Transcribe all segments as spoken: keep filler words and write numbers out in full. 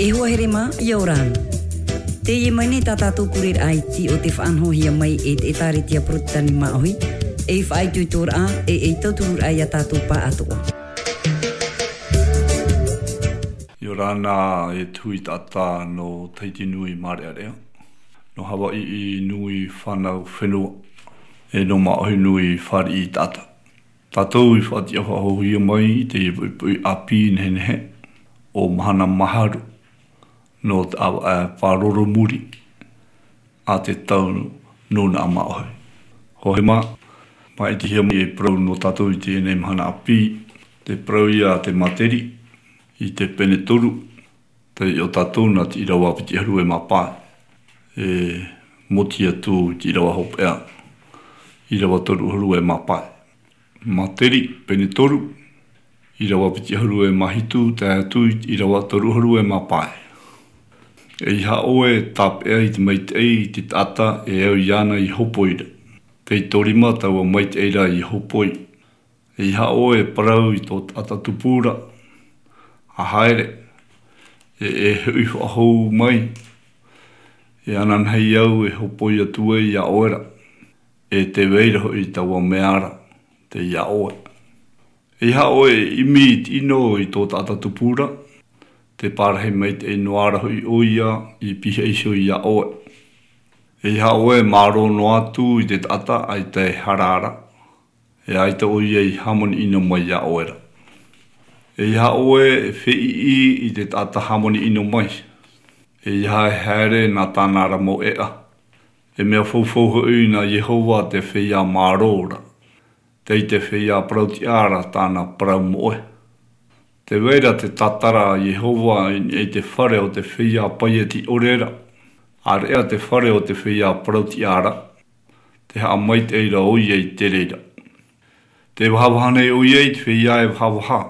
E hoa here mā, ʻia ora na. Teie mai nei tā tātou pureraʻa iti o te faʻanahohia mai e te ʻĒtārētia Porotetani Māʻohi, ei faʻaitoitoraʻa, e ei tautururaʻa ia tātou pāʻatoʻa. ʻIa ora na e te hui taʻata nō Tahiti Nui Mārearea, nō Havaiʻi Nui Fānau Fenua, e nō Māʻohi Nui Fāriʻi Taʻata. Tātou i faʻatiʻa faʻahouhia mai i te poʻipoʻi ʻāpī nehenehe o Mahana Maharu nō te ʻāvaʻe pāroro muri a te tau nūnaʻa Māʻohi. Hoʻi mā, māʻitihia mai e parau nō tātou i teie nei mahana ʻāpī, te parau ia a te Materi, i te pene toru, tei ʻō tātou nā te ʻīrava piti ʻahuru e mā pae, e moti atu i te ʻīrava hopeʻa, ʻīrava toru ʻahuru e mā pae. Materi, pene toru, ʻīrava piti ʻahuru e mā hitu, tae atu i te ʻīrava toru ʻahuru e mā pae. ʻEiaha ʻoe e tāpeʻa i te maitaʻi i te taʻata e au iāna i hopoi ra. Tei tō rima taua maitaʻi ra i hopoi. ʻEiaha ʻoe e parau i tō taʻata tupu ra, ʻa haere, e, e hoʻi faʻahou mai, e ananahi au e hopoi atu ai iā ʻoe ra, e tē vai ra hoʻi taua mea ra, tei iā ʻoe. ʻEiaha ʻoe e ʻimi i te ʻino i tō taʻata tupu ra, tē pārahi maitaʻi noa ra hoʻi ʻoia i pihaʻi iho iā ʻoe. ʻEiaha ʻoe e mārō noa atu i te taʻata ʻaita e hara ra, e ʻaita ʻoia i hāmani ʻino mai iā ʻoe ra. ʻEiaha ʻoe e feiʻi i te taʻata hāmani ʻino mai. ʻEiaha e haere nā tāna ra mau ʻēʻa. E mea faufau hoʻi nā Iehova te feiā mārō ra. Tei te feiā parau-tiʻa ra tāna parau moʻe. Tē vai ra te tātara a Iehova i niʻa i te fare o te feiā paieti ʻore ra. ʻĀreʻa te fare o te feiā parau-tiʻa ra. Tē haʻamaitaʻi ra ʻoia i te reira. Tē vahavaha nei ʻoia i te feiā e vahavaha.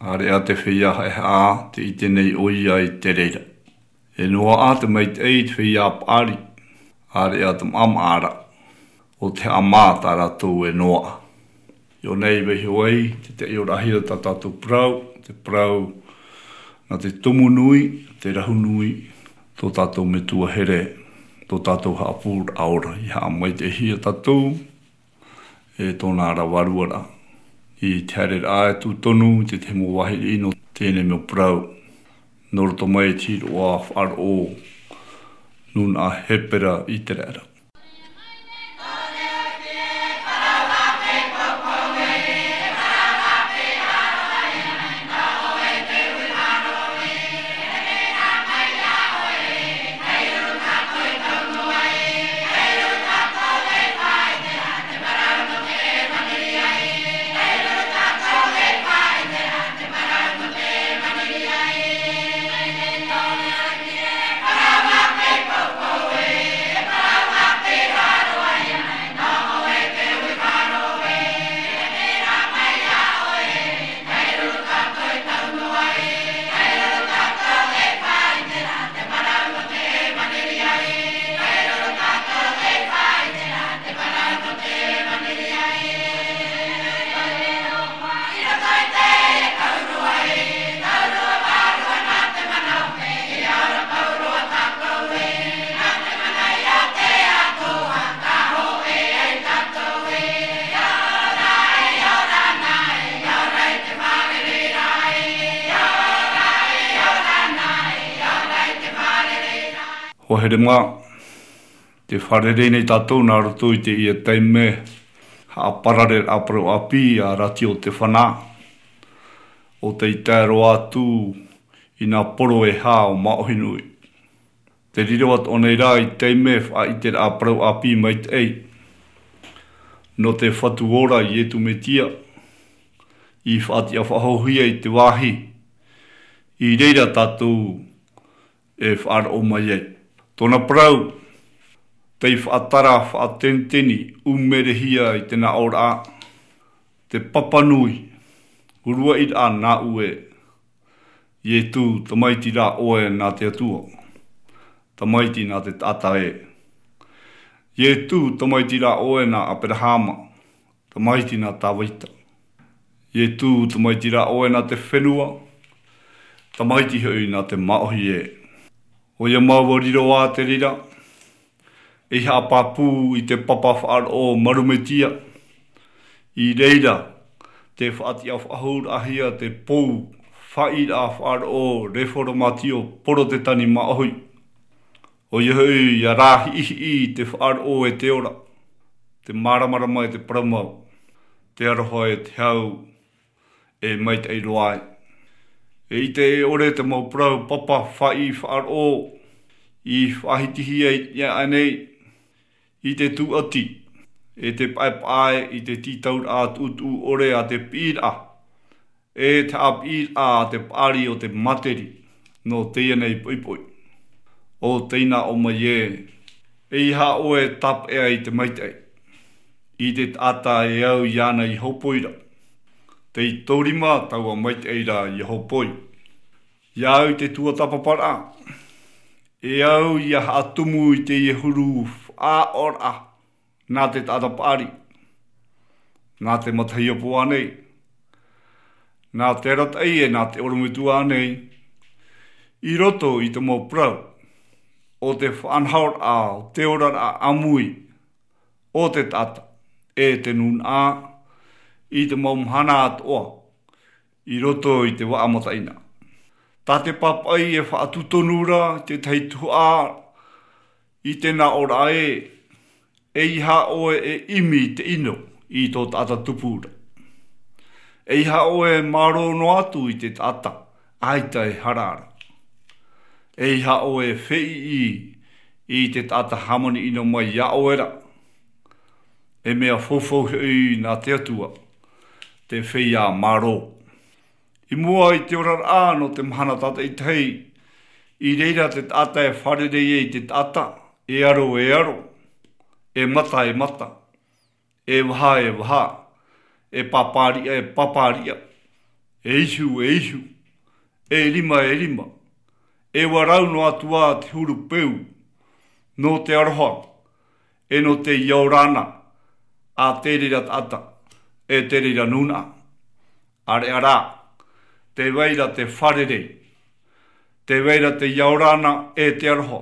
ʻĀreʻa te feiā haʻehaʻa, tē ʻite nei ʻoia i te reira. E noaʻa te maitaʻi i te feiā paʻari. ʻĀreʻa te maʻamaʻa ra. ʻO te haʻamā tā rātou e noaʻa. I ʻō nei vaiho ai te taʻioraʻahia tā tātou parau, te parau nā te Tumu Nui, te Rahu Nui, tō tātou metua here, tō tātou haʻapūraʻa ora, i haʻamaitaʻihia tātou, e tōna ra vārua ra. I te haereraʻa e tū tonu i te tahi mau vāhi riʻi nō teie nei mau parau, nō roto mai i te hīroʻa faʻaroʻo nūnaʻa Hepera ʻĪteraʻera. Hoa here mā, tē fārerei nei tātou nā roto i teie taime haʻaparareraʻa parau ʻāpī a Rātio Te Whana, ʻo tei tae roa atu i nā poro e hā o Māʻohi Nui. Te riro atoʻa nei rā i taime faʻaʻiteraʻa parau ʻāpī maitaʻi nō te Fatu ora Iesu Mesia, i faʻatiʻa faʻahouhia i te vāhi i reira tātou e faʻaroʻo mai ai. Tōna parau, tei faʻatara faʻateniteni ʻumerehia i te nāʻōraʻa, te papa nui, uruaʻi rā nāʻu ē, Iesu, tamaiti rā ʻoe nā te Atua, tamaiti nā te taʻata ē. Iesu, tamaiti rā ʻoe nā Aperahama, tamaiti nā Tāvita. Iesu, tamaiti rā ʻoe nā te fenua. Tamaiti hoʻi nā te māʻohi ē. ʻOia mau ʻua riro ā te reira, ei haʻapāpū i te papa faʻaroʻo marumetia. I reira, te faʻatiʻa faʻahouraʻahia te pou faʻaʻīraʻa faʻaroʻo reformatio porotetani māʻohi. ʻOia hoʻi ia rāhiʻihiʻi te faʻaroʻo e te ora, te māramarama e te parau mau, te aroha e te hau, e maitaʻi roa ai. E ʻite e ʻore te mau parau papa faʻaʻī faʻaroʻo, i faʻahitihia i te ʻānei, i te tūʻati, e te paʻepaʻe i te tītauraʻa tuʻutuʻu ʻore a te piʻiraʻa, e te haʻapiʻiraʻa a te paʻari o te materi, nō teie nei poʻipoʻi. ʻO teie nā ʻō mai ē, eiaha ʻoe tāpeʻa i te maitaʻi, i te taʻata e au iāna i hopoi ra. Tei tōrima taua maitaʻi ra ia hopoi. Ia au i te tuatāpaparaʻa, e au ia haʻatumu i teie huru faʻaʻoraʻa, nā te taʻata paʻari, nā te matahiapo ānei, nā te arataʻi e nā te ʻorometua ānei, i roto i te mau parau, o te faʻanahoraʻa, o te oraraʻa ʻāmui, o te taʻata, e te nūnaʻa, i te mau mahana atoʻa, i roto i te vaʻa mataʻina. Tā te pāpaʻi e faʻatūtonu ra i te tahi tuhaʻa, i te nā ʻōraʻa ē, eiaha ʻoe e ʻimi i te ʻino i tō taʻata tupu ra. Eiaha ʻoe e mārō noa atu i te taʻata, ʻaita e hara ra. Eiaha ʻoe e feiʻi i te taʻata hāmani ʻino mai iā ʻoe ra. E mea faufau hoʻi nā te Atua, te feiā mārō. I mua i te oraraʻa nō te mahana tātaʻitahi, i reira te taʻata e fārerei ai i te taʻata, e aro e aro, e mata e mata, e vaha e vaha, e pāpāriʻa e pāpāriʻa, e ihu e ihu, e rima e rima, e ʻua rau noa atu ā te huru peu, nō te aroha, e nō te ia ora na, a te reira taʻata, e te reira nūnaʻa. ʻĀreʻa rā, tē vai ra te fārerei, tē vai ra te ia ora na e te aroha,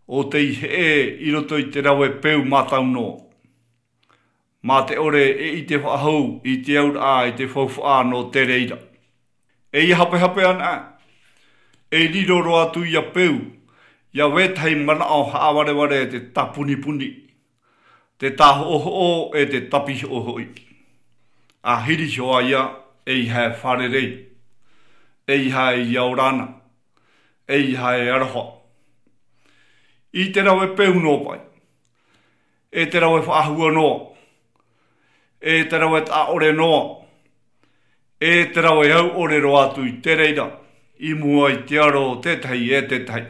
ʻo tei heʻe i roto i te rave peu mātau noa. Mā te ʻore e ʻite faʻahou i te auraʻa i te faufaʻa nō te reira. E ia hapehape ana, e riro roa atu ia peu, ia vetahi manaʻo haʻavarevare te tāpunipuni, te tāhoʻohoʻo e te tāpihoʻo hoʻi. A hiri iho ā ia, eiaha e fārerei, eiaha e ia ora na, eiaha e aroha. I te rave peu noa paʻi, e te rave faʻahua noa, e te rave taʻa ʻore noa, e te rave au ʻore roa atu i te reira, i mua i te aro o tētahi e tētahi.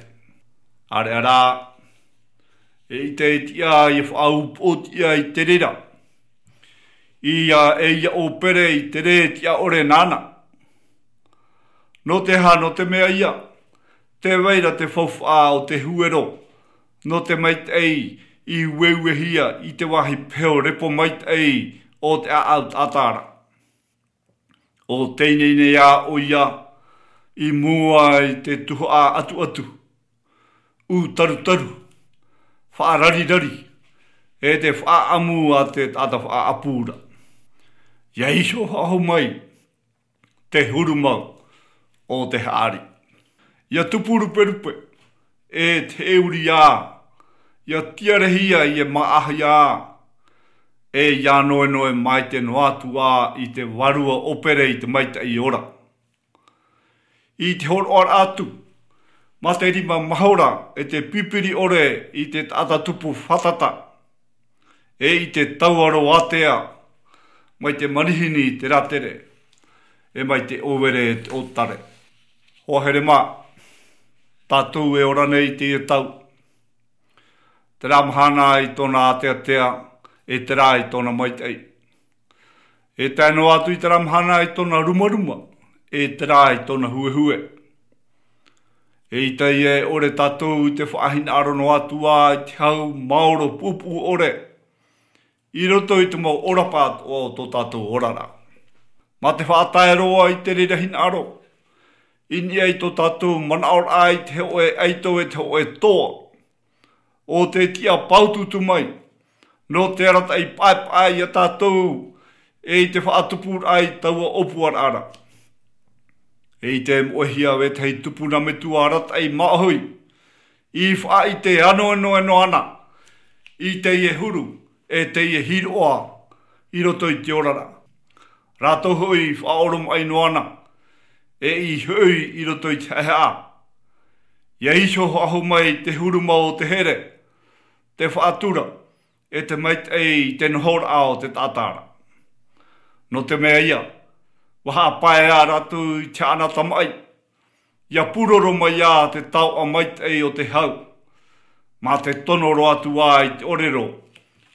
ʻĀreʻa rā, e ʻite e tiʻa ia faʻaʻupoʻo tiʻa i te reira. Ia e ia ʻōpere i te rē tiʻa ʻore nāna. Nō te aha, nō te mea ia, tē vai ra te faufaʻa o te huero, nō te maitaʻi i ueuehia i te vāhi peho repo maitaʻi o te ʻāʻau taʻata ra. ʻO teie nei ā ʻoia, i mua i te tuhaʻa atuatu, ʻū tarutaru, faʻararirari, e te faʻaʻamu a te taʻata faʻaʻapu ra. Ia iho faʻahou mai, te huru mau o te haʻari. Ia tupu ruperupe, e te heʻe uri ā, ia tiarehia, ia māʻahia ā, e ia noenoe maite noa atu ā i te vārua ʻōpere i te maitaʻi ora. I te hōroʻaraʻa atu, mā te rima mahora e te pipiri ʻore i te taʻata tupu fātata, e i te tauaro ātea, mai te manihini i te rātere, e mai te ʻōvere i te ʻōtare. Hoa here mā, tātou e ora nei i teie tau. Terā mahana i tōna āteatea, e terā i tōna maitaʻi. E tae noa atu i terā mahana i tōna rumaruma, e terā i tōna huehue. Eʻita ia e ʻore tātou i te faʻahinaʻaro noa atu ā i te hau maoro puʻupuʻu ʻore, i roto i te mau ʻōrapa atoʻa o tō tātou oraraʻa. Mā te faʻatae roa i te reira hinaʻaro, i niʻa i tō tātou manaʻoraʻa i te hōʻē ʻaito e te hōʻē toa. ʻO te tiʻa pāutuutu mai, nō te arataʻi paʻepaʻe ia tātou, e i te faʻatupuraʻa i taua ʻōpuaraʻa ra. E i te moʻehia e tahi tupuna metua arataʻi māʻohi, i faʻaʻite anoanoa noa ana, i teie huru, e teie hiroʻa, i roto i te oraraʻa. Rātou hoʻi i faʻaoromaʻi noa ana, e i hoʻi i roto i te haʻehaʻa. ʻIa iho faʻahou mai te huru mau o te here, te faʻatura, e te maitaʻi i te nohoraʻa o te taʻata ra. Nō te mea ia, ʻua haʻapae ā rātou i te haʻana tamaʻi, ʻia pūroro mai ā te taoʻa maitaʻi o te hau, mā te tono roa atu ā i te ʻōrero,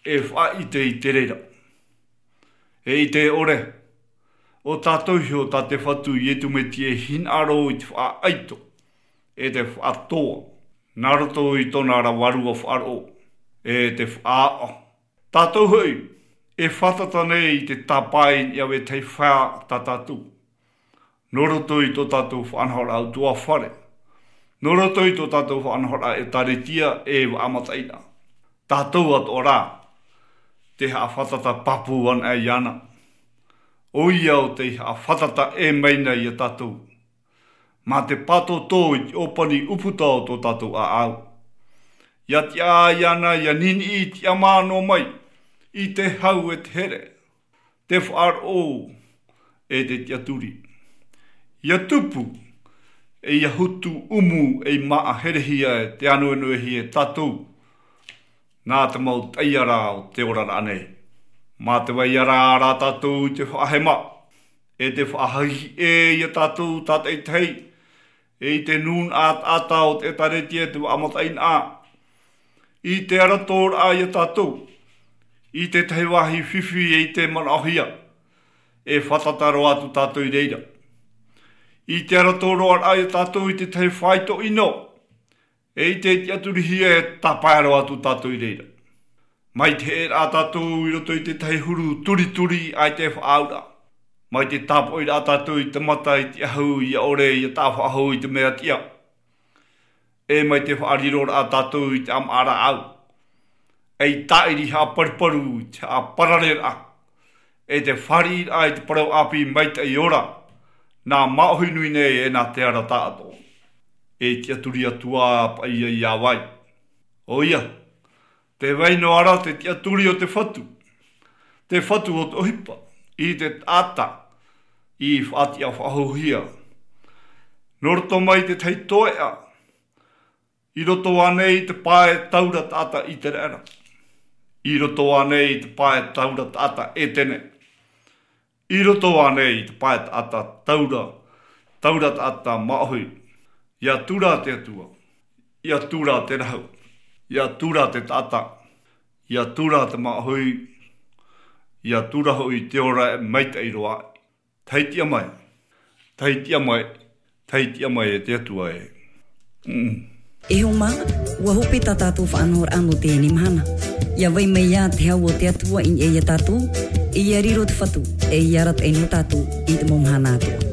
e faʻaʻite i te reira. E ʻite ʻore, ʻo tātou iho tā te Fatu Iesu Mesia e hinaʻaro i te faʻaʻaito, e te faʻatoa, nā roto i tōna ra vārua faʻaroʻo, e te faʻaʻaʻa. Tātou hoʻi, e fātata nei i te tāpae i niʻa e tahi fā tā tātou. Nō roto i tō tātou faʻanahoraʻa ʻutuāfare. Nō roto i tō tātou faʻanahoraʻa ʻēkālesia e vaʻa mataʻeinaʻa. Tātou atoʻa rā, tē haʻafātata pāpū ana iāna. ʻOia ʻo tei haʻafātata ʻē mai na ia tātou. Mā te pātōtō i te ʻōpani ʻūputa o tō tātou ʻāʻau. ʻIa tiʻa iāna ʻia niniʻi i te ʻamā noa mai, i te hau e te here, te faʻaroʻo, e te tiʻaturi. ʻIa tupu, e ʻia hutu ʻumu ei māʻa herehia e te anoanoehia e tātou, nā te mau taiara o te oraraʻa nei. Mā te vai ara rā tātou i te faʻahema, e te faʻahahi ʻē ia tātou tātaʻitahi, e i te nūnaʻa taʻata o te ʻēkālesia e te vaʻa mataʻeinaʻa. I te aratoraʻa ia tātou, i te tahi vāhi fifi e i te manaʻohia, e fātata roa atu tātou i reira. I te aratoraʻa ia tātou i te tahi faito ʻino, e i te tiʻaturihia e tāpae roa atu tātou i reira. Mai te heʻeraʻa tātou i roto i te tahi huru turituri ʻaita e faʻaauraʻa. Mai te tāpoʻiraʻa tātou i te mata i te ʻahu ʻia ʻore ʻia taʻa faʻahou i te mea tiʻa. E mai te faʻariroraʻa tātou i te ʻāmaʻa rāʻau. E i tāʻiri haʻaparuparu i te haʻaparareraʻa. E te fāriʻiraʻa i te parau ʻāpī maitaʻi ora. Nā māʻohi nui nei e nā te ara taʻatoʻa. E tiʻaturi atu ā paʻi ia vai. ʻOia, te vai noa ra te tiʻaturi o te Fatu. Te Fatu o te ʻohipa, i te taʻata, i faʻatiʻa faʻahouhia. Nō roto mai te tahi toeʻa, i roto ānei i te pae taura taʻata ʻĪteraʻera. I roto ānei i te pae taura taʻata ʻētene. I roto ānei i te pae taʻata taura, taura taʻata māʻohi. ʻIa tura te Atua, ʻia tura te rahu, ʻia tura te taʻata, ʻia tura te māʻohi, ʻia tura hoʻi te ora e maitaʻi roa. Tahi tiʻa mai, tahi tiʻa mai, tahi tiʻa mai e te Atua e. Mm. E hoa mā, ʻua hope tā tātou faʻanahoraʻa nō teie mahana. ʻIa vai mai ā te hau o te Atua i niʻa ia tātou, e ʻia riro te Fatu, e ʻia arataʻi noa tātou i te mau mahana atoʻa.